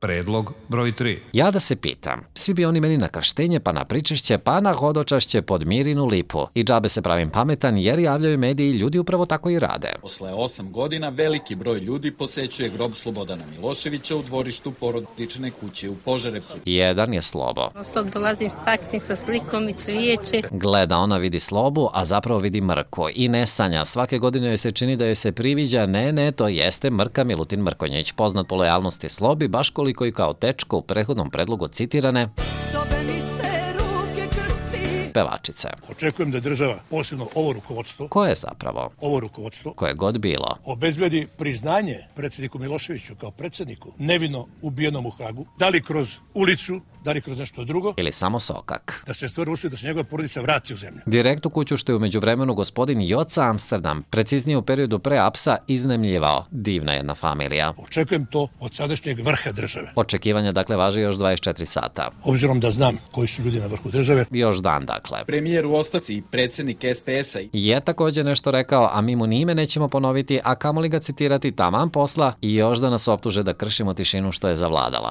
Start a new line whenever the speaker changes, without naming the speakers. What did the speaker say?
Predlog broj 3.
Ja da se pitam, svi bi oni meni na krštenje, pa na pričešće, pa na hodočašće pod Mirinu lipu. I džabe se pravim pametan jer javljaju mediji i ljudi upravo tako i rade.
Posle 8 godina veliki broj ljudi posećuje grob Slobodana Miloševića u dvorištu porodične kuće u Požarevcu.
Jedan je Slobo.
Osob dolazim s taksim sa slikom i cvijeće.
Gleda, ona vidi Slobu, a zapravo vidi Mrku. I ne sanja, svake godine joj se čini da joj se priviđa, ne, to jeste Mrka Milutin Mrkonjić, poznat po lojalnosti Slobi, baš koliko i kao tečko u prethodnom predlogu citirane pevačice.
Očekujem da država, posebno ovo rukovodstvo,
Ko je zapravo? Koje god bilo.
Obezbedi priznanje predsjedniku Miloševiću kao predsjedniku, nevino ubijenom u Hagu, da li kroz ulicu, da li kroz nešto drugo,
Ili samo sokak.
da se stvori uslov da se njegova porodica vrati u zemlju.
Direkt u kuću što je umeđu vremenu gospodin Joca Amsterdam, preciznije u periodu pre apsa, iznajmljivao. Divna jedna familija.
Očekujem to od sadašnjeg vrha države.
Očekivanja dakle važe još 24 sata.
Obzirom da znam koji su ljudi na vrhu države,
Još dan dakle.
Premijer u ostavci i predsjednik SPS-a
Je također nešto rekao, a mi mu ni ime nećemo ponoviti, a kamoli ga citirati taman posla i još da nas optuže da kršimo tišinu što je zavladala.